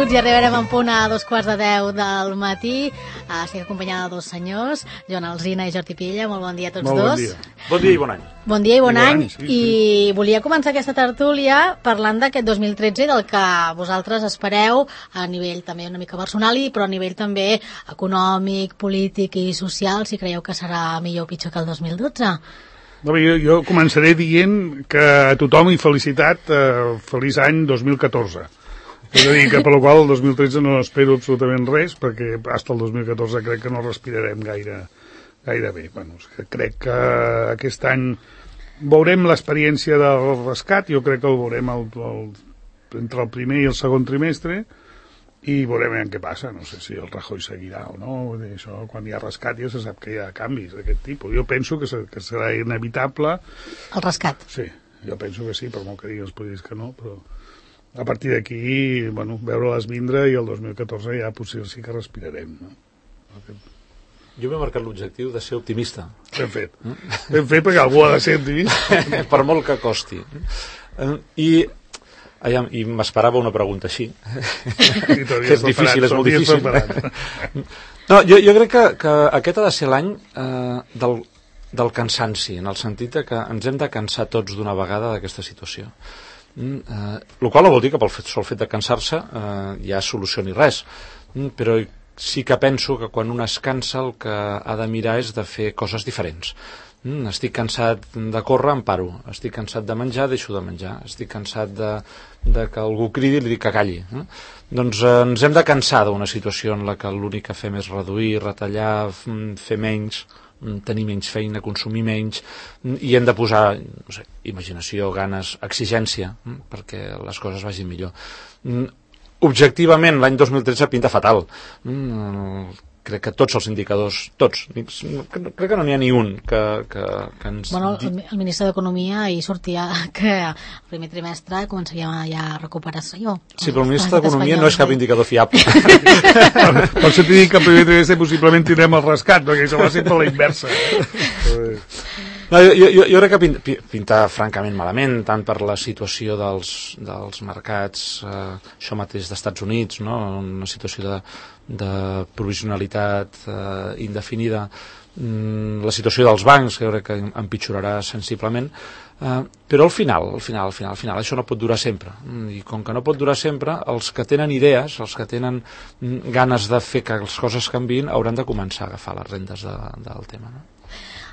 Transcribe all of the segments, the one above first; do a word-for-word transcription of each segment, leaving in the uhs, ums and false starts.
minuts i arribarem en punt a dos quarts de deu del matí. Uh, estic acompanyada de dos senyors, Joan Alsina i Jordi Pilla. Molt bon dia a tots Molt dos. Bon dia. Bon dia i bon any. Bon dia i bon, I bon any. any sí, I sí. volia començar aquesta tertúlia parlant d'aquest dos mil tretze i del que vosaltres espereu a nivell també una mica personal, i però a nivell també econòmic, polític i social, si creieu que serà millor o pitjor que el dos mil dotze. No, jo, jo començaré dient que a tothom i felicitat, eh, feliç any dos mil catorze. És a dir, que per la qual el dos mil tretze no espero absolutament res, perquè fins al dos mil catorze crec que no respirarem gaire, gaire bé. Bueno, crec que aquest any veurem l'experiència del rescat, jo crec que el veurem el, el, entre el primer i el segon trimestre, i veurem què passa. No sé si el Rajoy seguirà o no. Vull dir, això, quan hi ha rescat ja se sap que hi ha canvis d'aquest tipus. Jo penso que, se, que serà inevitable. El rescat? Sí, jo penso que sí, per molt que diguin els polítics que no, però a partir d'aquí, bueno, veure-les vindre, i el dos mil catorze ja potser sí que respirarem, no? Jo m'he marcat l'objectiu de ser optimista. Ben fet. Ben fet, perquè algú ha de ser optimista. Per molt que costi. I, aviam, i m'esperava una pregunta així. Que és difícil, és molt difícil. No, jo, jo crec que, que aquest ha de ser l'any eh, del, del cansanci, en el sentit que ens hem de cansar tots d'una vegada d'aquesta situació. Mm, eh, el qual no vol dir que pel fet, sol fet de cansar-se eh, ja solucioni res, mm, però sí que penso que quan un es cansa el que ha de mirar és de fer coses diferents. Mm, estic cansat de córrer, em paro. Estic cansat de menjar, deixo de menjar. Estic cansat de, de que algú cridi i li dic que calli. Eh? Doncs eh, ens hem de cansar d'una situació en la que l'únic que fem és reduir, retallar, fer menys, tenir menys feina, consumir menys, i hem de posar, no sé, imaginació, ganes, exigència, perquè les coses vagin millor. Objectivament, l'any dos mil tretze pinta fatal. Crec que tots els indicadors, tots, crec que no n'hi ha ni un que, que, que ens... Bueno, el, el ministre d'Economia hi sortia que el primer trimestre començaria ja a recuperar-se-jo. Sí, però el ministre d'Economia no és cap indicador fiable. Per això t'he dit que el primer trimestre possiblement tindrem el rescat, perquè això va ser per la inversa. No, jo, jo, jo crec que pinta, pinta francament malament, tant per la situació dels, dels mercats, eh, això mateix d'Estats Units, no? Una situació de, de provisionalitat eh, indefinida, mm, la situació dels bancs, que jo crec que empitjorarà sensiblement, eh, però al final, al final, al final, al final, això no pot durar sempre, i com que no pot durar sempre, els que tenen idees, els que tenen ganes de fer que les coses canviïn, hauran de començar a agafar les rendes de, del tema, no?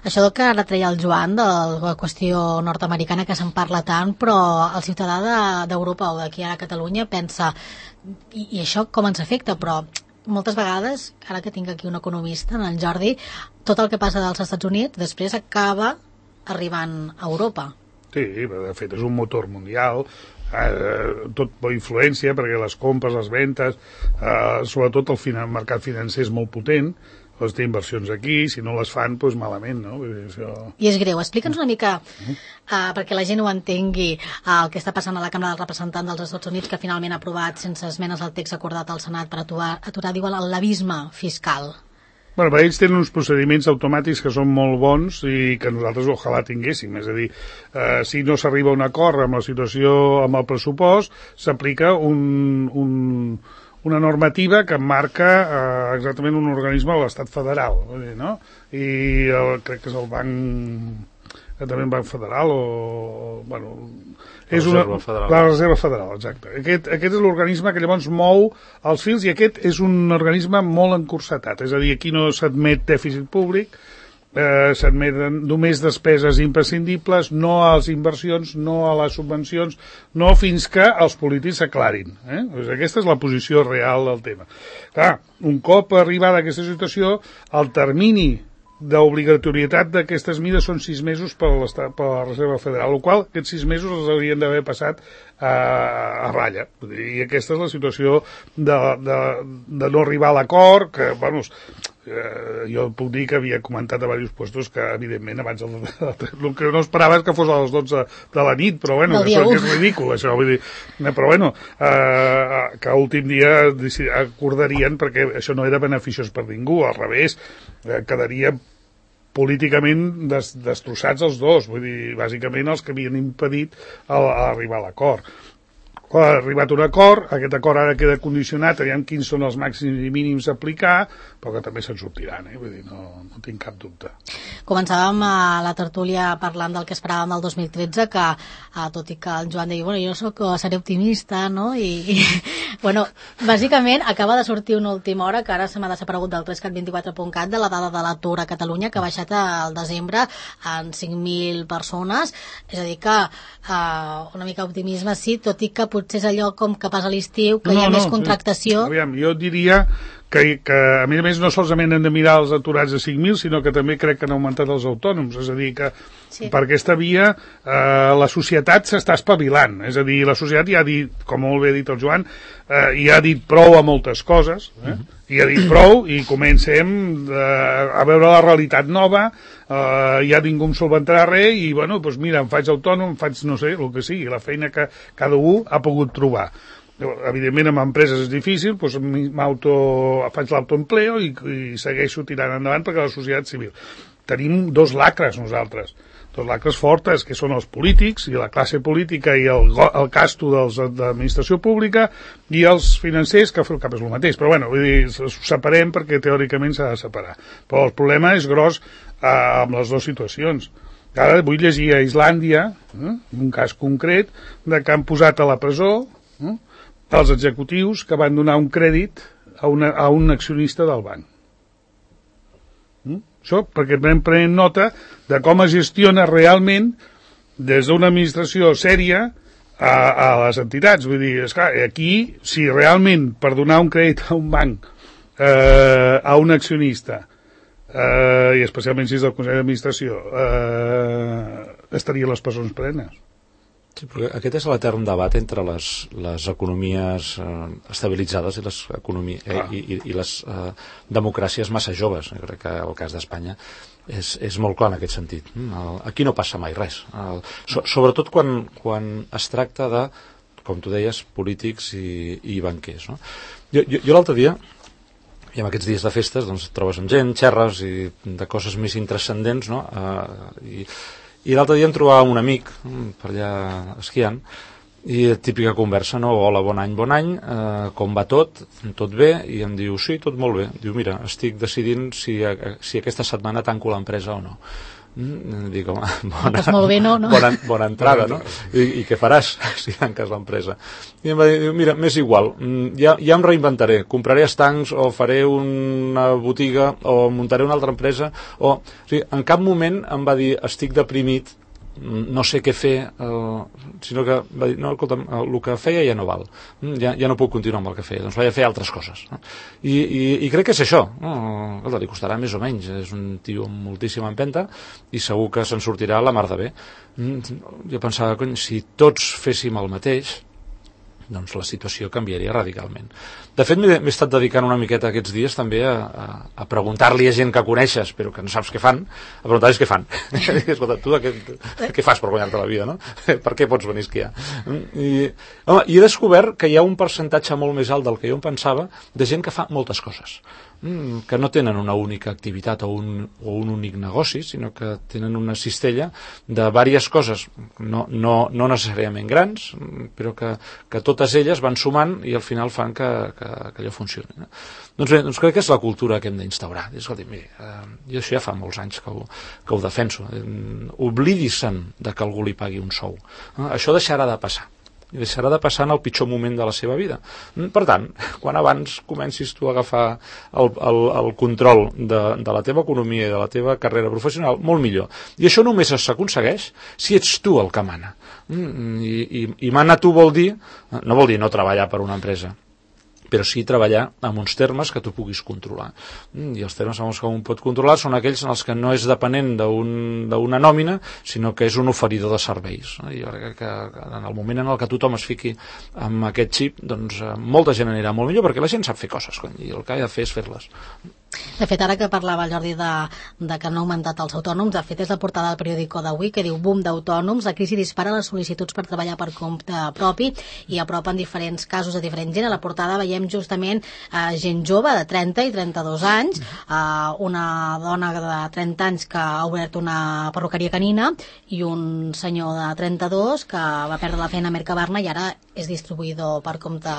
Això del que ara treia el Joan, de la qüestió nord-americana, que se'n parla tant, però el ciutadà d'Europa o d'aquí ara a Catalunya pensa, i, i això com ens afecta, però moltes vegades, ara que tinc aquí un economista, en el Jordi, tot el que passa dels Estats Units després acaba arribant a Europa. Sí, de fet és un motor mundial, eh, tot per influència, perquè les compres, les ventes, eh, sobretot el finan- mercat financer és molt potent, les té inversions aquí, si no les fan, doncs malament, no? Això... I és greu. Explica'ns una mica, uh, perquè la gent ho entengui, uh, el que està passant a la Cambra dels Representants dels Estats Units, que finalment ha aprovat sense esmenes el text acordat al Senat per aturar, aturar diuen, el l'abisme fiscal. Bueno, per ells tenen uns procediments automàtics que són molt bons i que nosaltres ojalà tinguéssim. És a dir, eh, si no s'arriba a un acord amb la situació, amb el pressupost, s'aplica un... un una normativa que marca eh, exactament un organisme de l'Estat federal, no? I el, crec que és el banc, també el banc federal, o, o bueno, és una, Reserva Federal. La Reserva Federal, exacte. Aquest, aquest és l'organisme que llavors mou els fils, i aquest és un organisme molt encursetat, és a dir, aquí no s'admet dèficit públic, eh, s'admeten només despeses imprescindibles, no a les inversions, no a les subvencions, no fins que els polítics s'aclarin. Eh? Doncs aquesta és la posició real del tema. Clar, un cop arribada a aquesta situació, el termini d'obligatorietat d'aquestes mides són sis mesos per, per la Reserva Federal, el qual aquests sis mesos els haurien d'haver passat a, a ratlla. I aquesta és la situació de, de, de no arribar a l'acord, que, bueno, eh, jo puc dir que havia comentat a diversos puestos que, evidentment, abans el, el que no esperava és que fos a les dotze de la nit, però bueno, que, això, que és ridícul, això, vull dir, però bueno, eh, que a últim dia acordarien, perquè això no era beneficiós per ningú, al revés, eh, quedaria políticament des, destrossats els dos, vull dir, bàsicament els que havien impedit el, arribar a l'acord. ha arribat un acord, aquest acord ara queda condicionat, aviam quins són els màxims i mínims a aplicar, però que també se'n sortiran, eh? Vull dir, no, no tinc cap dubte. Començàvem a la tertúlia parlant del que esperàvem del dos mil tretze, que eh, tot i que el Joan deia, bueno, jo soc, seré optimista, no? I, i bueno, bàsicament acaba de sortir una última hora, que ara se m'ha desaparegut del tres cat vint-i-quatre punt cat, de la dada de l'atur a Catalunya, que ha baixat al desembre en cinc mil persones, és a dir que eh, una mica optimisme sí, tot i que potser és allò com que passa l'estiu, que no, hi ha no, més contractació. Aviam, jo diria que, que a més a més no solament hem de mirar els aturats de cinc mil, sinó que també crec que han augmentat els autònoms, és a dir que sí. Per aquesta via eh, la societat s'està espavilant, és a dir, la societat ja ha dit, com molt bé ha dit el Joan, eh, ja ha dit prou a moltes coses, eh? Uh-huh. I ha dit prou i comencem eh, a veure la realitat nova, eh, ja ningú em solventarà res i bueno, doncs mira, em faig autònom, em faig no sé, el que sigui, la feina que cada un ha pogut trobar. Evidentment amb empreses és difícil, doncs faig l'autoempleo i, i segueixo tirant endavant perquè la societat civil. Tenim dos lacres nosaltres, dos lacres fortes, que són els polítics i la classe política i el, el casto dels, de l'administració pública i els financers, que al cap és el mateix, però bueno, vull dir, ho separem perquè teòricament s'ha de separar. Però el problema és gros eh, amb les dues situacions. Ara vull llegir a Islàndia, eh, un cas concret, de que han posat a la presó eh, els executius que van donar un crèdit a, una, a un accionista del banc. Mm? Això perquè anem prenent nota de com es gestiona realment des d'una administració sèria a, a les entitats. Vull dir, esclar, aquí, si realment per donar un crèdit a un banc, eh, a un accionista, eh, i especialment si és del Consell d'Administració, eh, estarien les persones plenes. Sí, perquè aquest és l'etern debat entre les, les economies eh, estabilitzades i les, economia, eh, i, i, i les eh, democràcies massa joves. Jo crec que el cas d'Espanya és, és molt clar en aquest sentit. El, aquí no passa mai res. El, so, sobretot quan, quan es tracta de, com tu deies, polítics i, i banquers. No? Jo, jo, jo l'altre dia, i en aquests dies de festes, doncs, et trobes amb gent, xerres i de coses més intranscendents, no? Eh, i I l'altre dia em trobava un amic per allà esquiant i típica conversa, no? Hola, bon any, bon any, eh, com va tot? Tot bé? I em diu, sí, tot molt bé. Diu, mira, estic decidint si, si aquesta setmana tanco l'empresa o no. Mm, dic, home, bona, pues molt bé, no, no? Bona, bona entrada, no? I, I què faràs si tanques l'empresa? I em va dir, mira, m'és igual, ja, ja em reinventaré, compraré estancs o faré una botiga o muntaré una altra empresa, o, o sigui, en cap moment em va dir, estic deprimit, no sé què fer, eh, sinó que va dir, no, escolta, el que feia ja no val, ja, ja no puc continuar amb el que feia, doncs vaig a fer altres coses. No? I, i, I crec que és això, no? Escolta, li costarà més o menys, és un tio amb moltíssima empenta i segur que se'n sortirà la mar de bé. Jo pensava, cony, si tots féssim el mateix, doncs la situació canviaria radicalment. De fet, m'he estat dedicant una miqueta aquests dies també a, a, a preguntar-li a gent que coneixes, però que no saps què fan, a preguntar-los què fan. Escolta, tu què, què fas per guanyar-te la vida, no? Per què pots venir a esquiar? I, home, i he descobert que hi ha un percentatge molt més alt del que jo em pensava de gent que fa moltes coses, que no tenen una única activitat o un, o un únic negoci, sinó que tenen una cistella de diverses coses, no, no, no necessàriament grans, però que, que totes elles van sumant i al final fan que, que, que allò funcioni. No? Doncs bé, doncs crec que és la cultura que hem d'instaurar. Escolta, mira, eh, jo això ja fa molts anys que ho, que ho defenso. Eh, oblidi-se'n de que algú li pagui un sou. Eh, això deixarà de passar. I deixarà de passar en el pitjor moment de la seva vida. Per tant, quan abans comencis tu a agafar el, el, el control de, de la teva economia i de la teva carrera professional, molt millor. I això només s'aconsegueix si ets tu el que mana. I, i, i mana tu vol dir, no vol dir no treballar per una empresa, però sí treballar amb uns termes que tu puguis controlar. I els termes amb els que un pot controlar són aquells en els que no és depenent d'una un, nòmina, sinó que és un oferidor de serveis. I jo crec que en el moment en el que tothom es fiqui amb aquest xip, doncs molta gent anirà molt millor, perquè la gent sap fer coses, i el que ha de fer és fer-les. De fet, ara que parlava el Jordi de, de que no ha augmentat els autònoms, de fet és la portada del periòdico d'avui que diu boom d'autònoms, la crisi dispara les sol·licituds per treballar per compte propi i apropen diferents casos de diferent gent. A la portada veiem justament eh, gent jove de trenta i trenta-dos anys, eh, una dona de trenta anys que ha obert una perruqueria canina i un senyor de trenta-dos que va perdre la feina a Mercabarna i ara és distribuïdor per compte,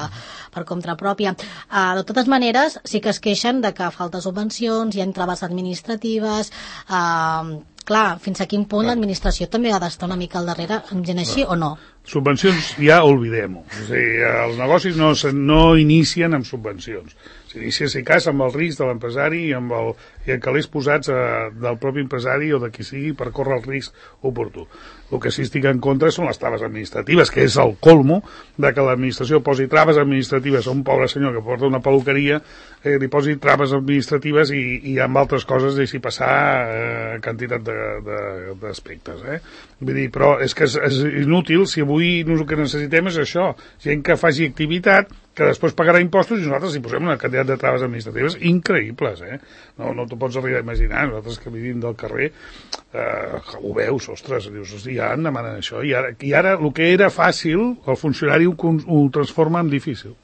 per compte pròpia. Eh, de totes maneres, sí que es queixen de que falta subvencions, hi ha traves administratives, eh, clar, fins a quin punt l'administració també ha d'estar una mica al darrere amb gent així, o no? Subvencions ja oblidem-ho. O sigui, els negocis no, no inicien amb subvencions. S'inicia, si cas, amb el risc de l'empresari i amb el, i en calés posats eh, del propi empresari o de qui sigui per córrer el risc oportú. El que sí estic en contra són les traves administratives, que és el colmo de que l'administració posi traves administratives a un pobre senyor que porta una peluqueria, eh, li posi traves administratives i, i amb altres coses deixi passar eh, quantitat d'aspectes. Eh? Vull dir, però és que és, és inútil si avui el que necessitem és això, gent que faci activitat, que després pagarà impostos i nosaltres hi posem una quantitat de traves administratives increïbles, eh? No, no t'ho pots arribar a imaginar, nosaltres que vivim del carrer, eh, ho veus, ostres, dius, hosti, ja en demanen això, i ara, i ara el que era fàcil, el funcionari ho, ho transforma en difícil.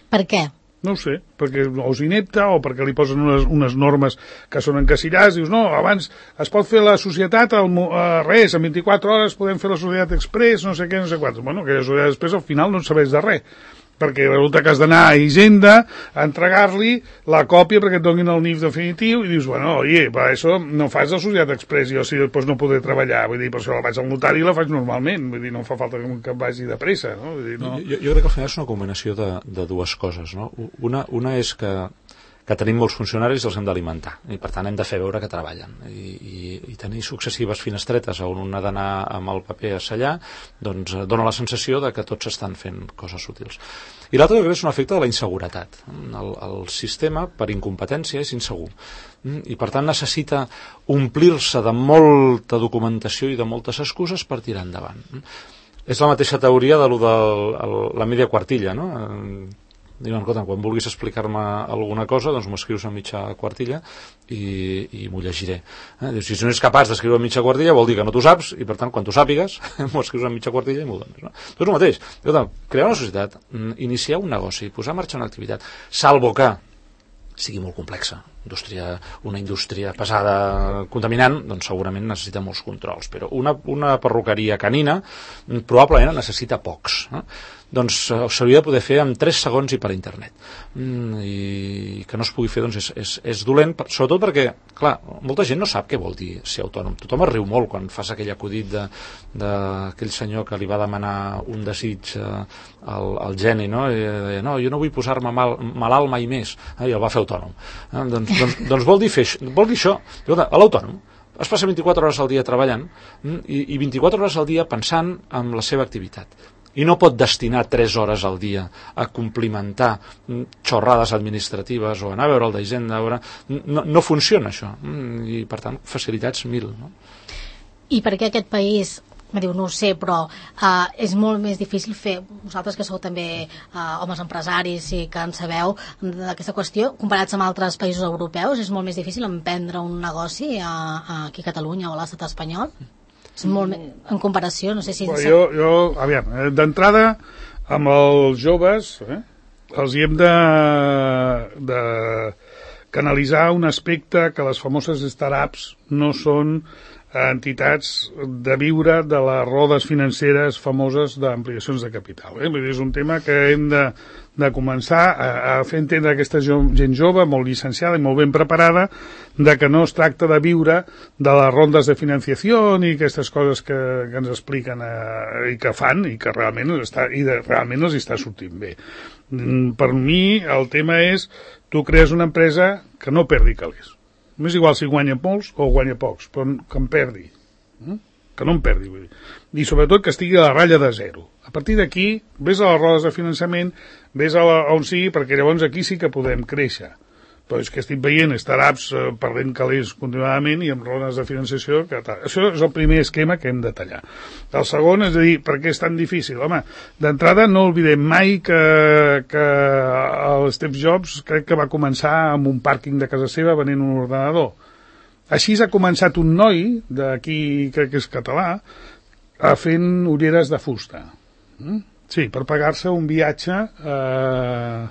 Per què? No ho sé, perquè o és inepte o perquè li posen unes, unes normes que són encasillades, dius, no, abans es pot fer la societat al, a res, en vint-i-quatre hores podem fer la societat express, no sé què, no sé quants. Bueno, aquella societat express al final no en sabés de res, perquè resulta que has d'anar a Hisenda a entregar-li la còpia perquè et donin el N I F definitiu i dius, bueno, oye, per això no fas la societat express, jo si després no podré treballar, vull dir, per això la vaig al notari i la faig normalment, vull dir, no fa falta que em vagi de pressa, no? Vull dir, no. Jo, jo crec que al final és una combinació de, de dues coses, no? Una, una és que que tenim molts funcionaris i els hem d'alimentar i per tant hem de fer veure que treballen i, i, i tenir successives finestretes on un ha d'anar amb el paper a sellar doncs eh, dona la sensació de que tots estan fent coses útils. I l'altre és un efecte de la inseguretat. El, el sistema per incompetència és insegur i per tant necessita omplir-se de molta documentació i de moltes excuses per tirar endavant. És la mateixa teoria de lo de la mitja quartilla, no? Diuen, escolta, quan vulguis explicar-me alguna cosa, doncs m'ho escrius en mitja quartilla i, i m'ho llegiré. Eh? Dius, si no ets capaç d'escriure en mitja quartilla vol dir que no t'ho saps i per tant quan t'ho sàpigues m'ho escrius en mitja quartilla i m'ho dones. No? Doncs el mateix, escolta, crear una societat, iniciar un negoci, posar en marxa una activitat, salvo que sigui molt complexa, indústria, una indústria pesada, contaminant, doncs segurament necessita molts controls, però una, una perruqueria canina probablement necessita pocs. Eh? Doncs s'hauria de poder fer en tres segons i per internet. Mm, i que no es pugui fer doncs és, és, és dolent, per, sobretot perquè, clar, molta gent no sap què vol dir ser autònom. Tothom es riu molt quan fas aquell acudit d'aquell senyor que li va demanar un desig eh, al, al geni, no? I deia, no, jo no vull posar-me mal, malalt mai més, eh, i el va fer autònom. Eh, doncs, doncs, doncs vol dir, fer, vol dir això, a l'autònom es passa vint-i-quatre hores al dia treballant i, i vint-i-quatre hores al dia pensant en la seva activitat. I no pot destinar tres hores al dia a complimentar xorrades administratives o anar a veure el d'Hisenda. No, no funciona això. I, per tant, facilitats mil. No? I per què aquest país, me diu, no ho sé, però uh, és molt més difícil fer, vosaltres que sou també uh, homes empresaris i que en sabeu d'aquesta qüestió, comparats amb altres països europeus, és molt més difícil emprendre un negoci a, a aquí a Catalunya o a l'estat espanyol? És molt més, en comparació, no sé si... Bueno, jo, jo, aviam, d'entrada, amb els joves, eh, els hi hem de, de canalitzar un aspecte que les famoses startups no són entitats de viure de les rodes financeres famoses d'ampliacions de capital. Eh? Vull dir, és un tema que hem de, de començar a, a fer entendre aquesta gent jove, molt llicenciada i molt ben preparada, de que no es tracta de viure de les rondes de financiació i aquestes coses que, que ens expliquen eh, i que fan i que realment, està, i de, realment els està sortint bé. Per mi el tema és tu crees una empresa que no perdi calés. M'és igual si guanya molts o guanya pocs, però que em perdi. Que no em perdi, vull dir. I sobretot que estigui a la ratlla de zero. A partir d'aquí, vés a les rodes de finançament, vés a la, on sigui, perquè llavors aquí sí que podem créixer. però és que estic veient startups eh, perdent calés continuadament i amb rodes de financiació. Que tal. Això és el primer esquema que hem de tallar. El segon és a dir, per què és tan difícil? Home, d'entrada no oblidem mai que, que el Steve Jobs crec que va començar amb un pàrquing de casa seva venent un ordenador. Així ha començat un noi, d'aquí crec que és català, a fent ulleres de fusta. Mm? Sí, per pagar-se un viatge eh,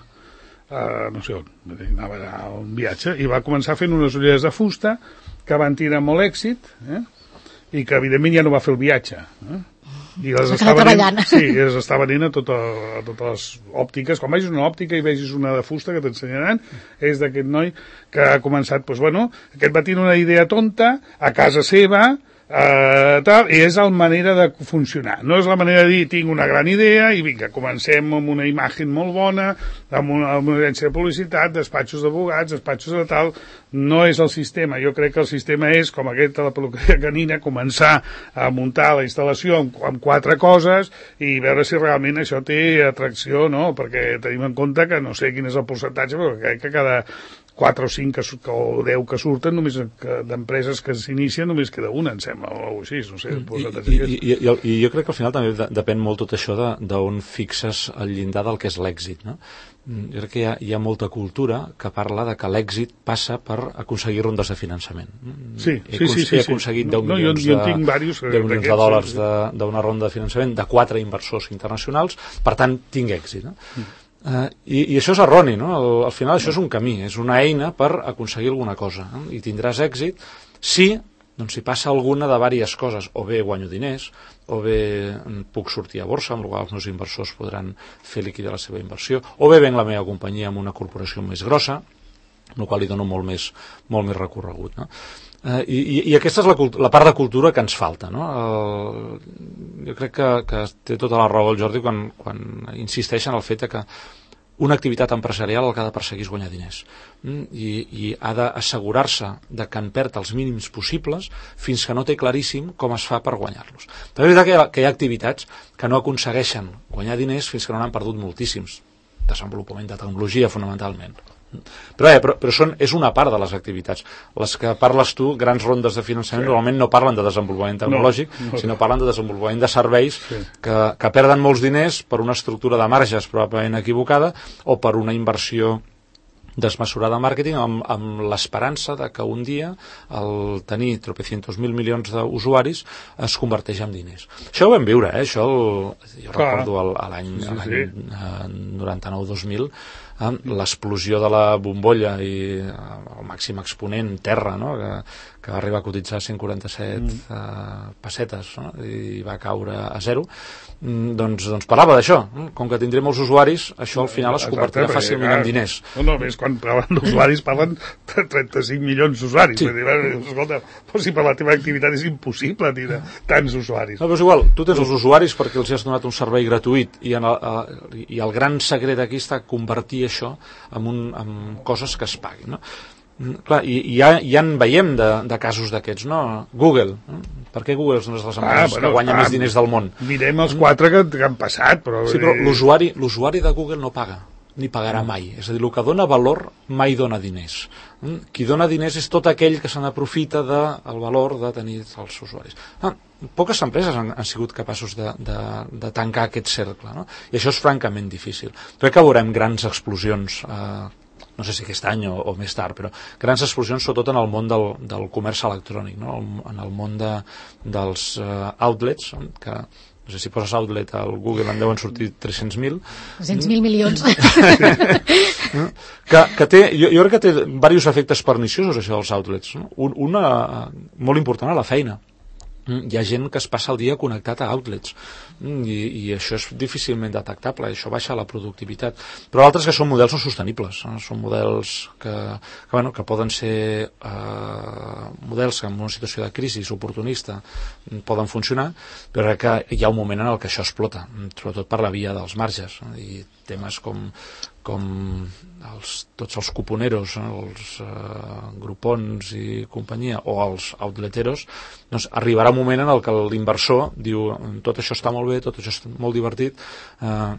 Uh, no sé on, anava a un viatge i va començar fent unes ulleres de fusta que van tenir molt èxit eh? I que evidentment ja no va fer el viatge eh? I les està venent, sí, les està venent a, tota, a totes les òptiques. Quan vegis una òptica i vegis una de fusta que t'ensenyaran, és d'aquest noi que ha començat, doncs bueno, aquest va tenir una idea tonta a casa seva. Uh, tal, i és la manera de funcionar, no és la manera de dir tinc una gran idea i vinga, comencem amb una imatge molt bona, amb una, amb una agència de publicitat, despatxos d'abogats, despatxos de tal. No és el sistema. Jo crec que el sistema és com aquest de la peluqueria canina, començar a muntar la instal·lació amb, amb quatre coses i veure si realment això té atracció, no? Perquè tenim en compte que no sé quin és el percentatge, però crec que cada quatre o cinc que, o deu que surten només d'empreses que s'inicien només queda una, em sembla, o així, no sé. I, i, i, i, I jo crec que al final també de, depèn molt tot això d'on fixes el llindar del que és l'èxit, no? Jo crec que hi ha, hi ha molta cultura que parla de que l'èxit passa per aconseguir rondes de finançament. Sí, he, sí, sí, sí, he aconseguit sí. deu No, milions, jo, jo de, diversos, deu milions de dòlars sí, sí. d'una ronda de finançament de quatre inversors internacionals, per tant tinc èxit, no? Mm. Uh, i, i això és erroni, no? Al, al final això és un camí, és una eina per aconseguir alguna cosa, no? I tindràs èxit si, doncs, si passa alguna de diverses coses, o bé guanyo diners, o bé puc sortir a borsa, amb la qual els meus inversors podran fer liquidar la seva inversió, o bé venc la meva companyia amb una corporació més grossa, amb la qual li dono molt més, molt més recorregut, no? Uh, i, i aquesta és la, la part de cultura que ens falta, no? Uh, jo crec que, que té tota la raó el Jordi quan, quan insisteix en el fet que una activitat empresarial el que ha de perseguir és guanyar diners mm? I, i ha d'assegurar-se de que en perd els mínims possibles fins que no té claríssim com es fa per guanyar-los. També és veritat que hi ha, que hi ha activitats que no aconsegueixen guanyar diners fins que no n'han perdut moltíssims. Desenvolupament de tecnologia, fonamentalment. Però, eh, però, però són, és una part de les activitats. Les que parles tu, grans rondes de finançament, sí. Normalment no parlen de desenvolupament tecnològic, no, no. sinó parlen de desenvolupament de serveis sí. que, que perden molts diners per una estructura de marges probablement equivocada o per una inversió desmesurada de màrqueting amb, amb l'esperança de que un dia el tenir tropecientos mil milions d'usuaris es converteix en diners. Això ho vam viure, eh? Això el, jo Clar. recordo l'any sí, sí. noranta-nou dos mil, eh? l'explosió de la bombolla i el màxim exponent terra, no? que, que va arribar a cotitzar cent quaranta-set mm. eh, pessetes, no? I va caure a zero. Doncs, doncs parlava d'això, com que tindré molts usuaris, això al final es convertirà Exacte, fàcilment en diners. No, no, més quan parlen d'usuaris parlen de trenta-cinc milions d'usuaris. Sí. Escolta, però si per la teva activitat és impossible tenir tants usuaris. No, però és igual, tu tens els usuaris perquè els has donat un servei gratuït i, en el, i el gran secret aquí està convertir això en, un, en coses que es paguin, no? Clar, i, i ja, ja en veiem de, de casos d'aquests, no? Google, no? Per què Google és una de les empreses ah, bueno, que guanya ah, més diners del món? Mirem els quatre que, que han passat, però... Sí, però l'usuari l'usuari de Google no paga, ni pagarà mai. És a dir, el que dona valor mai dona diners. Qui dona diners és tot aquell que se n'aprofita del valor de tenir els usuaris. Ah, poques empreses han, han sigut capaços de, de, de tancar aquest cercle, no? I això és francament difícil. Crec que veurem grans explosions eh, no sé si aquest any o, o més tard, però grans explosions sobretot en el món del, del comerç electrònic, no? En el món de, dels uh, outlets, que no sé si poses outlet al Google en deuen sortir tres-cents mil. tres-cents mil milions. que, que té, jo, jo crec que té diversos efectes perniciosos, això dels outlets. No? Un, una molt important a la feina. Hi ha gent que es passa el dia connectat a outlets i, i això és difícilment detectable, això baixa la productivitat, però altres que són models no sostenibles, no? Són models que, que, bueno, que poden ser eh, models que en una situació de crisi oportunista poden funcionar, però que hi ha un moment en el que això explota, sobretot per la via dels marges, no? I temes com com els, tots els cuponeros, els eh, grupons i companyia, o els outleteros, doncs arribarà un moment en el que l'inversor diu tot això està molt bé, tot això és molt divertit, eh,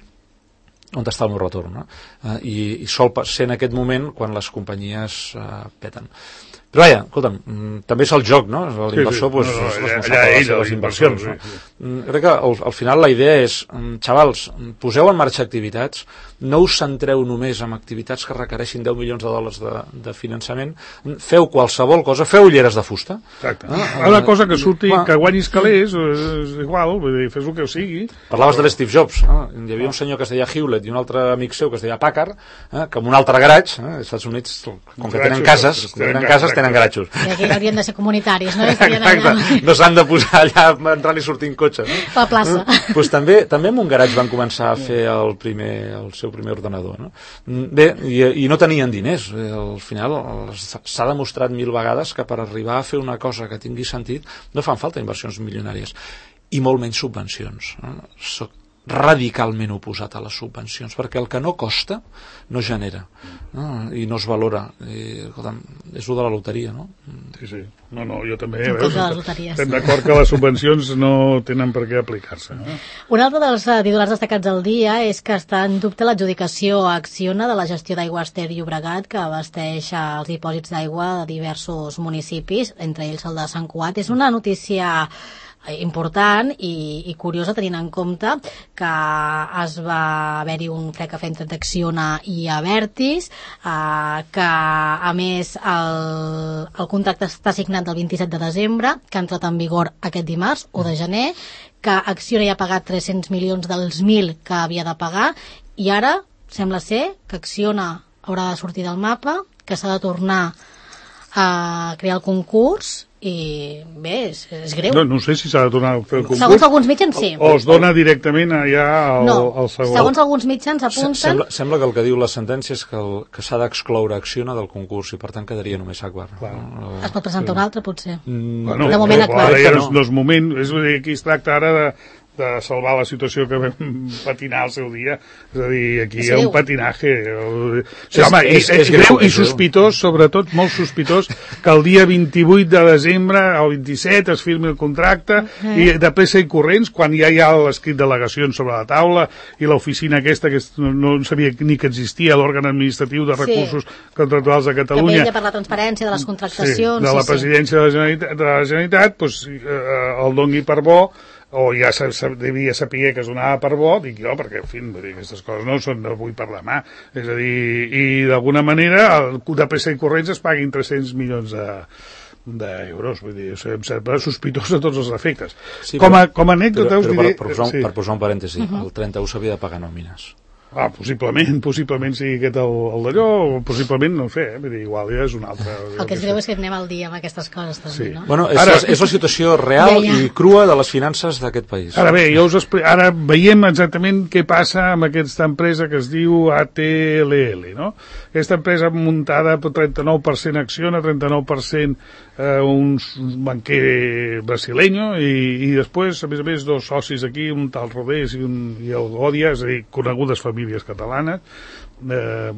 on està el meu retorn, no? Uh, i, i sol ser en aquest moment quan les companyies uh, peten. Però vaja, escolta'm, també és el joc, no? L'inversor sí, sí. Pues, no, no, és responsable de les seves inversions. Sí, sí. sí. Crec que al, al final la idea és, xavals, poseu en marxa activitats, no us centreu només en activitats que requereixin deu milions de dòlars de, de finançament, feu qualsevol cosa, feu ulleres de fusta. Exacte. Ah, una cosa que surti, que guanyis calés, és igual, vull dir, fes el que sigui. Parlaves de l'Steve Jobs, eh? Hi havia un senyor que es deia Hewlett i un altre amic seu que es deia Packard, eh? que en un altre garatge, eh? als Estats Units, com que tenen cases, tenen cases, tenen garatjos. I aquí haurien de ser comunitaris, no? Exacte, no s'han de posar allà entrant i sortint cotxe. No? A la plaça. Pues també, també en un garatge van començar a fer el, primer, el seu primer ordenador. No? Bé, i, i no tenien diners. Al final s'ha demostrat mil vegades que per arribar a fer una cosa que tingui sentit no fan falta inversions milionàries i molt menys subvencions. No? Soc radicalment oposat a les subvencions, perquè el que no costa no genera, no? I no es valora. I, escolta'm, és el de la loteria, no? Sí, sí. No, no, jo també. Veus, estem d'acord que les subvencions no tenen per què aplicar-se. No? Un altre dels titulars destacats del dia és que està en dubte l'adjudicació a Acciona de la gestió d'aigües Ter Llobregat, que abasteix els dipòsits d'aigua de diversos municipis, entre ells el de Sant Cugat. És una notícia important i, i curiosa, tenint en compte que es va haver-hi un crec que entre Acciona i Abertis, eh, que a més el, el contracte està signat el vint-i-set de desembre, que ha entrat en vigor aquest dimarts, u de gener, que Acciona ja ha pagat tres-cents milions dels mil que havia de pagar, i ara sembla ser que Acciona haurà de sortir del mapa, que s'ha de tornar a crear el concurs, i bé, és, és greu. No, no sé si s'ha de tornar a fer el concurs. Segons alguns mitjans, sí. O, o es dona directament allà al, no, al segon. Segons alguns mitjans apunten... Sembla, sembla que el que diu la sentència és que, el, que s'ha d'excloure Acciona del concurs i per tant quedaria només Agbar. No? Es pot presentar un altre, potser. Mm, bueno, de moment Agbar. Ara ja no, no és moment, és a dir, aquí es tracta ara de de salvar la situació que vam patinar al seu dia, és a dir, aquí hi ha un patinaje o sigui, home, és, és, és greu i sospitós, sobretot molt sospitós, que el dia vint-i-vuit de desembre o vint-i-set es firmi el contracte uh-huh. i de pressa i corrents, quan ja hi ha l'escrit d'al·legacions sobre la taula i l'oficina aquesta que no, no sabia ni que existia, l'òrgan administratiu de recursos sí. contractuals de Catalunya, que vetlla per la transparència de les contractacions, sí, de la sí, presidència sí. de la Generalitat, de la Generalitat doncs, eh, el doni per bo, o ja se, se devia saber que es donava per bo, dic jo, perquè, en fi, dir, aquestes coses no són d'avui per demà. És a dir, i d'alguna manera, el, de pressa i corrents es paguin tres-cents milions de, d'euros, vull dir, em sembla sospitós a tots els efectes. Sí, com, a, com a anècdota, us diré... Per, per, posar, sí. per posar un parèntesi, uh-huh. el trenta-u s'havia de pagar nòmines. Ah, possiblement, possiblement sigui aquest el, el d'allò, o possiblement, no ho sé, eh? Vull dir, igual ja és un altre... El que és greu és que anem al dia amb aquestes coses, també, sí. no? Bueno, és, ara, és la situació real ja, ja. i crua de les finances d'aquest país. Ara bé, jo us expli... ara veiem exactament què passa amb aquesta empresa que es diu A T L L, no? Aquesta empresa muntada per trenta-nou per cent Acciona, trenta-nou per cent eh, un banquer brasileño i, i després, a més a més, dos socis aquí, un tal Rodés i, un, i el Godia, és a dir, conegudes famílies catalanes, eh,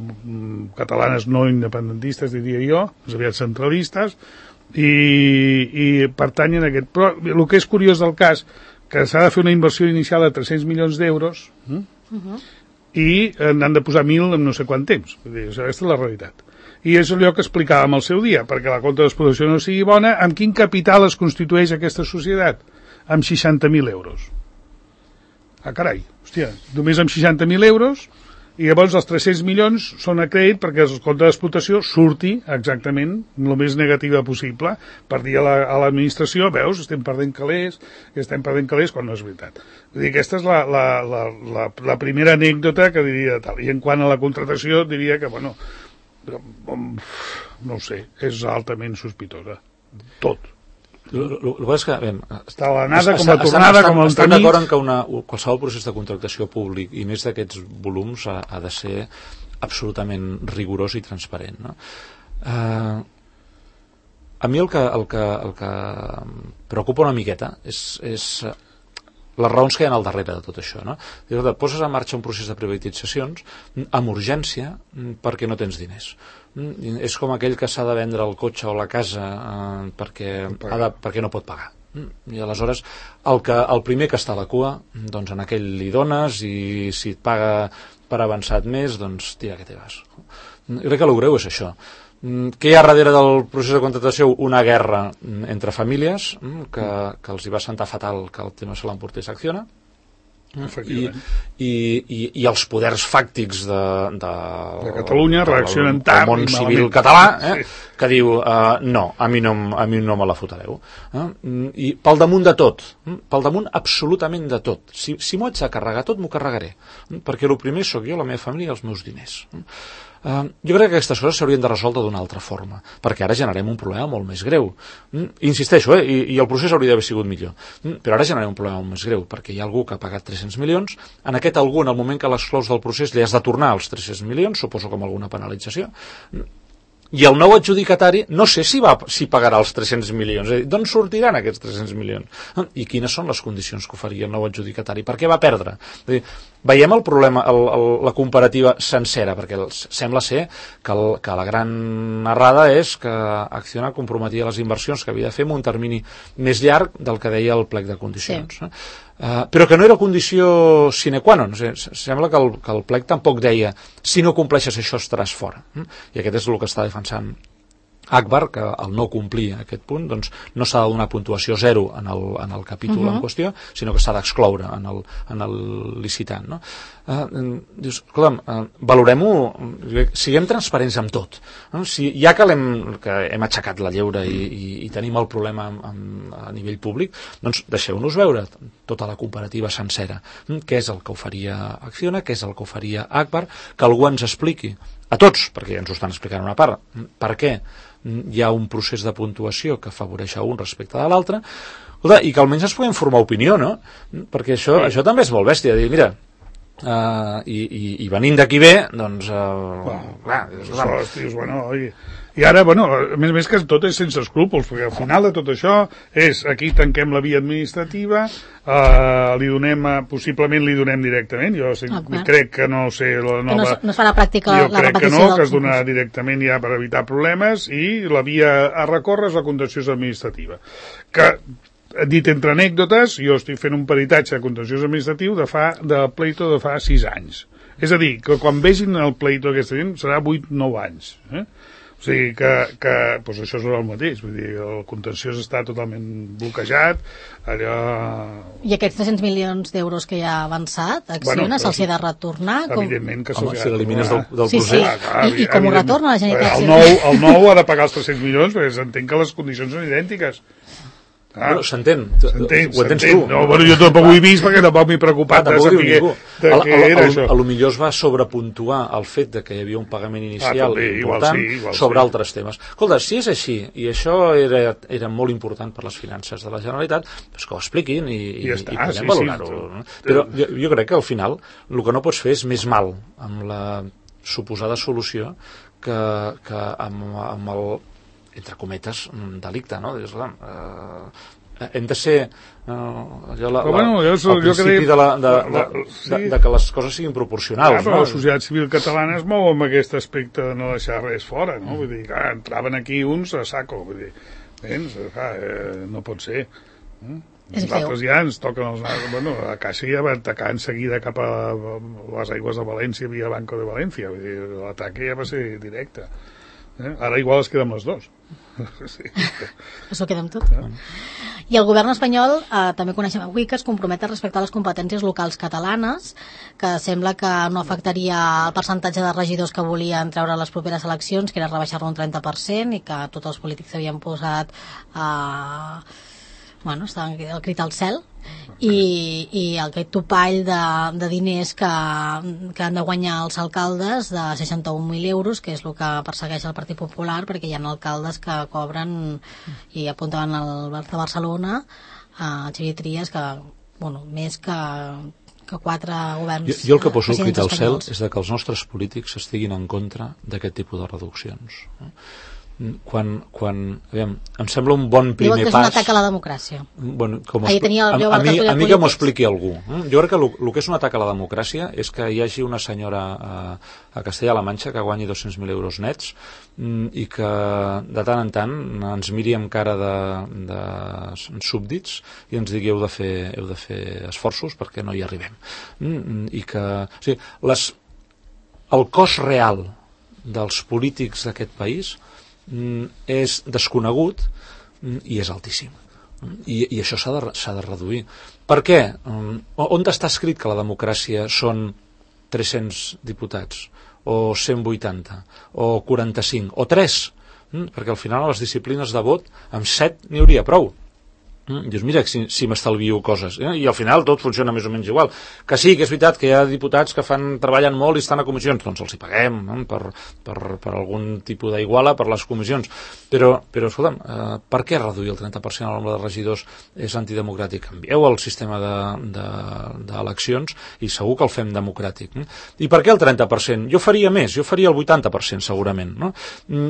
catalanes no independentistes, diria jo, més aviat centralistes, i, i pertanyen a aquest... Però el que és curiós del cas, que s'ha de fer una inversió inicial de tres-cents milions d'euros, hm? uh-huh. i n'han de posar mil en no sé quant temps. Vull dir, aquesta és la realitat. I és allò que explicàvem al seu dia, perquè la compta d'explotació no sigui bona, amb quin capital es constitueix aquesta societat? Amb seixanta mil euros. Ah, carai, hòstia, només amb seixanta mil euros, i llavors els tres-cents milions són a crèdit perquè el compte d'explotació surti exactament el més negativa possible per dir a l'administració, la, veus, estem perdent calés, estem perdent calés, quan no és veritat. Vull dir, aquesta és la, la, la, la, la primera anècdota que diria tal. I en quant a la contractació diria que, bueno, no ho sé, és altament sospitosa. Tot. El que és que... Bé, està a l'anada com a tornada, com a entremig. Estan d'acord en que una, qualsevol procés de contractació públic, i més d'aquests volums, ha, ha de ser absolutament rigorós i transparent. No? Uh, a mi el que, el que, el que preocupa una miqueta és, és les raons que hi ha al darrere de tot això. No? Poses en marxa un procés de privatitzacions amb urgència perquè no tens diners. És com aquell que s'ha de vendre el cotxe o la casa eh, perquè, ha de, perquè no pot pagar. I aleshores el, que, el primer que està a la cua, doncs en aquell li dones, i si et paga per avançat més, doncs tira que te vas. Jo crec que el greu és això. Què hi ha darrere del procés de contractació? Una guerra entre famílies que, que els hi va sentar fatal que el tema se l'emportés Acciona, I, i, i, i els poders fàctics de, de, de Catalunya reaccionen tard del món civil català, eh, que diu uh, no, a mi no, a mi no me la fotareu, eh? I pel damunt de tot, pel damunt absolutament de tot, si, si m'ho haig de carregar tot m'ho carregaré, perquè el primer sóc jo, la meva família i els meus diners. Uh, jo crec que aquestes coses s'haurien de resoldre d'una altra forma, perquè ara generem un problema molt més greu. Mm, insisteixo, eh, i, i el procés hauria d'haver sigut millor, mm, però ara generem un problema molt més greu, perquè hi ha algú que ha pagat tres-cents milions, en aquest algú, en el moment que l'exclous del procés, li has de tornar els tres-cents milions, suposo com alguna penalització, i el nou adjudicatari no sé si, va, si pagarà els tres-cents milions, és a dir, d'on sortiran aquests tres-cents milions? I quines són les condicions que oferia el nou adjudicatari? Per què va perdre? És a dir, veiem el problema, el, el, la comparativa sencera, perquè sembla ser que, el, que la gran errada és que Acciona comprometia les inversions que havia de fer en un termini més llarg del que deia el plec de condicions. Sí. Uh, però que no era condició sine qua non. O sigui, sembla que el, que el plec tampoc deia si no compleixes això estaràs fora. I aquest és el que està defensant Agbar, que al no complir aquest punt doncs, no s'ha de donar puntuació zero en el, en el capítol uh -huh. en qüestió, sinó que s'ha d'excloure en, el, en el licitant. No? Uh, dius, escolta'm, uh, valorem-ho, siguem transparents amb tot. No? Si, ja que, hem, que hem aixecat la lleure i, i, i tenim el problema amb, amb, a nivell públic, doncs deixeu-nos veure tota la comparativa sencera. Què és el que oferia Acciona, què és el que oferia Agbar, que algú ens expliqui a tots, perquè ens ho estan explicant una part, per què hi ha un procés de puntuació que afavoreix a un respecte de l'altre, i que almenys ens puguem formar opinió, no? Perquè això, sí. això també és molt bèstia, dir, mira, uh, i, i, i venint d'aquí bé, doncs... Uh, bueno, clar, això, dius, bueno, oi... I ara, bueno, a més a més que tot és sense escrúpols, perquè al final de tot això és, aquí tanquem la via administrativa, eh, li donem, possiblement li donem directament, jo sí, okay. crec que no sé, la nova... Que no, no es fa la pràctica jo la crec repetició que no, que es donarà directament ja per evitar problemes, i la via a recórrer és la contenciosa administrativa. Que, dit entre anècdotes, jo estic fent un peritatge de contenciós administratiu de, fa, de pleito de fa sis anys. És a dir, que quan vegin el pleito aquesta gent serà vuit nou anys, eh? O sigui que, que doncs això és el mateix, vull dir, el contenciós està totalment bloquejat, allò... I aquests tres-cents milions d'euros que ja ha avançat, Acciona, bueno, se'ls ha de retornar? Evidentment que se'ls ha de retornar. Si l'elimines del, del sí, procés... Sí, ah, clar, I, i com ho retorna la Generalitat? El nou, el nou ha de pagar els tres-cents milions, perquè s'entén que les condicions són idèntiques. Ah, bueno, s'entén, s'entén, ho entens tu. No, bueno, jo tampoc ho he vist perquè tampoc m'he preocupat ah, de saber de què era això. A lo millor es va sobrepuntuar el fet de que hi havia un pagament inicial ah, també, important igual sí, igual sobre sí. altres temes. Escolta, si és així, i això era, era molt important per les finances de la Generalitat, doncs que ho expliquin i, i, i, està, i podem sí, valorar-ho. Sí, no? Però jo, jo crec que al final el que no pots fer és més mal amb la suposada solució que, que amb, amb el entre cometes, delicte, no? Dius, eh, hem de ser eh, allò, la, la, bueno, jo, el principi crec, de, la, de, la, la, de, sí. de, de que les coses siguin proporcionals. Clar, però no? La societat civil catalana es mou amb aquest aspecte de no deixar res fora, no? Vull dir, clar, entraven aquí uns a saco, vull dir, vens, clar, eh, no pot ser. Eh? Nosaltres ja ens toquen els... Bueno, a Caixa ja va atacar en seguida cap a les aigües de València via Banco de València, vull dir, l'atac ja va ser directe. Eh? Ara igual es queda amb les dos. Sí. Això queda amb tot. Eh? I el govern espanyol eh, també coneixem avui que es compromet a respectar les competències locals catalanes, que sembla que no afectaria el percentatge de regidors que volien treure les properes eleccions, que era rebaixar-lo un trenta per cent, i que tots els polítics havien posat eh, bueno, estaven el crit al cel, i, i aquest topall de, de diners que, que han de guanyar els alcaldes de seixanta-un mil euros, que és el que persegueix el Partit Popular, perquè hi ha alcaldes que cobren, i apuntaven al de Barcelona, a Xavier Trias, que, bueno, més que, que quatre governs. Jo, jo el que poso el crit al cel és de que els nostres polítics estiguin en contra d'aquest tipus de reduccions. Quan, quan aviam, em sembla un bon primer pas... Diuen que és un atac a la democràcia. Bueno, com Ahir tenia el a, a, mi, a mi que m'ho expliqui algú. Jo crec que el que és un atac a la democràcia és que hi hagi una senyora a, a Castella-La Manxa que guanyi dos-cents mil euros nets i que de tant en tant ens miri amb cara de, de súbdits i ens digui heu de fer, heu de fer esforços perquè no hi arribem. I que... O sigui, les el cost real dels polítics d'aquest país mm, és desconegut mm, i és altíssim. I, i això s'ha de, s'ha de reduir. Per què? Mm, on està escrit que la democràcia són tres-cents diputats, o cent vuitanta, o quaranta-cinc, o tres? Mm, perquè al final a les disciplines de vot amb set n'hi hauria prou. Mm, dius, mira, si, si m'estalvio coses, eh? I al final tot funciona més o menys igual. Que sí, que és veritat que hi ha diputats que fan treballen molt i estan a comissions, doncs els hi paguem, no? per, per, per algun tipus d'iguala per les comissions, però, però escolta'm, eh, per què reduir el trenta per cent el nombre de regidors és antidemocràtic? Canvieu el sistema d'eleccions de, de, i segur que el fem democràtic. Eh? I per què el trenta per cent? Jo faria més, jo faria el vuitanta per cent segurament, no?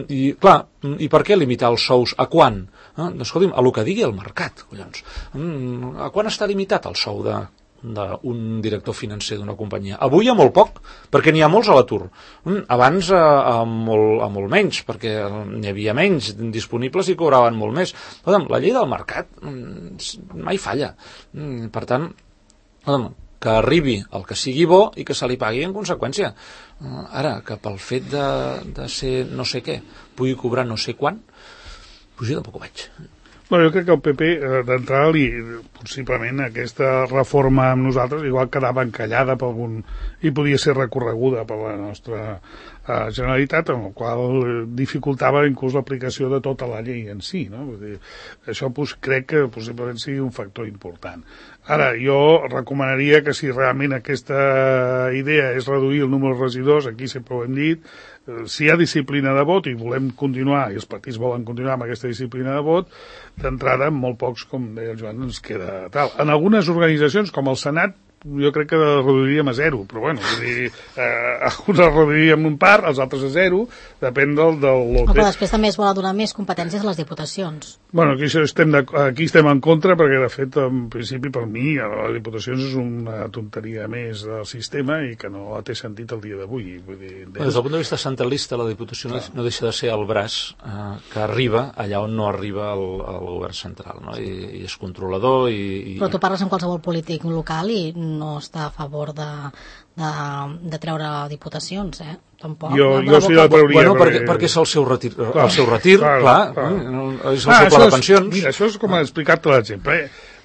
I clar, i per què limitar els sous? A quan? Eh? Doncs escolti'm, a lo que digui el mercat, collons. A quan està limitat el sou de d'un director financer d'una companyia? Avui a molt poc, perquè n'hi ha molts a l'atur. Abans a, a, molt, a molt menys, perquè n'hi havia menys disponibles i cobraven molt més. La llei del mercat mai falla. Per tant, que arribi el que sigui bo i que se li pagui en conseqüència. Ara, que pel fet de, de ser no sé què pugui cobrar no sé quan, doncs jo tampoc ho veig. Bueno, jo crec que el P P, d'entrada, li, possiblement aquesta reforma amb nosaltres igual quedava encallada per algun, i podia ser recorreguda per la nostra uh, Generalitat, amb el qual dificultava inclús l'aplicació de tota la llei en si. No? Vull dir, això pues, crec que possiblement sigui un factor important. Ara, jo recomanaria que si realment aquesta idea és reduir el número de regidors, aquí sempre ho hem dit, si hi ha disciplina de vot i volem continuar, i els partits volen continuar amb aquesta disciplina de vot, d'entrada, molt pocs, com deia el Joan, ens queda tal. En algunes organitzacions, com el Senat, jo crec que reduiríem a zero, però bueno, vull dir, eh, alguns el reduiríem un part, els altres a zero, depèn del, del lote. Però després també es vol donar més competències a les diputacions. Bueno, aquí estem, de, aquí estem en contra, perquè de fet, en principi, per mi, les diputacions és una tonteria més del sistema i que no té sentit el dia d'avui. Vull dir, des... Des del punt de vista centralista, la diputació no, no deixa de ser el braç eh, que arriba allà on no arriba el, el govern central, no? I, i és controlador i, i... Però tu parles amb qualsevol polític local i no està a favor de, de, de treure diputacions, eh? Tampoc. Jo, jo sí la trauria. Bueno, perquè, perquè, perquè és el seu retir, clar, el seu retir clar, clar, clar. Eh? És el ah, seu pla de pensions. És, mira, això és com explicar-te l'exemple.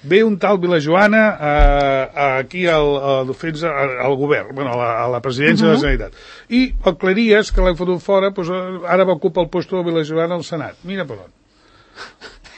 Ve un tal Vilajoana eh, aquí al, al, al, al govern, bueno, a, la, a la presidència uh-huh. de la Generalitat. I el Cleries, que l'hem fotut fora, doncs, ara va ocupar el lloc de Vilajoana al Senat. Mira per on.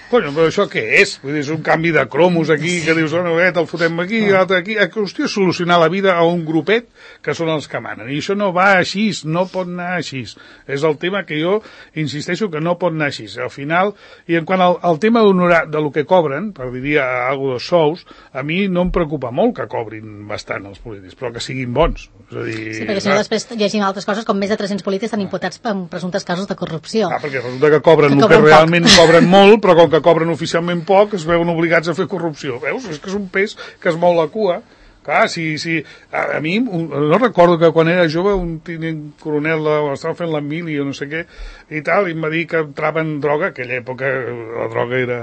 Bueno, però això què és? Vull dir, és un canvi de cromos aquí, que dius, no, el fotem aquí, i l'altre aquí. Hòstia, solucionar la vida a un grupet que són els que manen. I això no va així, no pot anar així. És el tema que jo insisteixo que no pot anar així. Al final, i en quant al, al tema d'honorar de lo que cobren, per dir alguna cosa de sous, a mi no em preocupa molt que cobrin bastant els polítics, però que siguin bons. És a dir, sí, perquè si no després llegim altres coses, com més de tres-cents polítics estan imputats per presumptes casos de corrupció. Ah, perquè resulta que cobren que el que realment cobren molt, però com que cobren oficialment poc, es veuen obligats a fer corrupció. Veus? És que és un pes que es mou la cua. Clar, si, si, a, a mi, un, no recordo que quan era jove un tinent coronel estava fent la mili o no sé què i tal, i em va dir que entraven droga, aquella època la droga era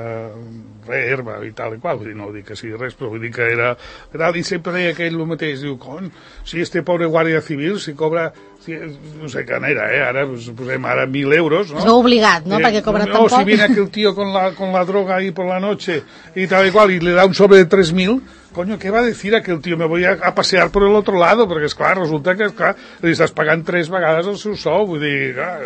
re, herba i tal i qual, vull dir, no vull dir que sigui res, però vull dir que era tal, i sempre deia aquell el mateix, diu, con, si este pobre guàrdia civil, si cobra no sé què era, eh? Ara pues, posem ara mil euros, ¿no? Es veu obligat, ¿no? Eh, Perquè cobra no, tan poc. Si viene aquel tío con la, con la droga ahí por la noche y tal y cual, y le da un sobre de tres mil, coño, ¿qué va a decir aquel tío? Me voy a, a pasear por el otro lado, perquè, esclar, resulta que, esclar, li estàs pagant tres vegades el seu sou, vull dir, clar,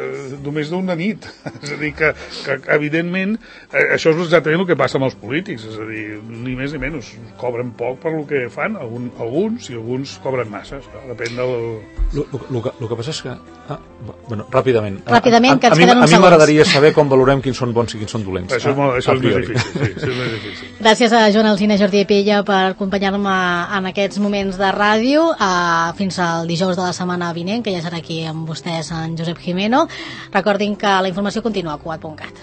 només d'una nit. És a dir, que, que evidentment, eh, això és exactament el que passa amb els polítics, és a dir, ni més ni menys, cobren poc per el que fan, algun, alguns, i alguns cobren massa, esclar, depèn del... El que passa és que... Ah, bueno, ràpidament. Ràpidament, a, a, a, a, a mi m'agradaria saber com valorem quins són bons i quins són dolents. Això, ah, això és més difícil, sí, això és més difícil. Gràcies a Joan Alsina, Jordi Pella, per acompanyar-me en aquests moments de ràdio. Uh, fins al dijous de la setmana vinent, que ja serà aquí amb vostès en Josep Jimeno. Recordin que la informació continua a cugat punt cat.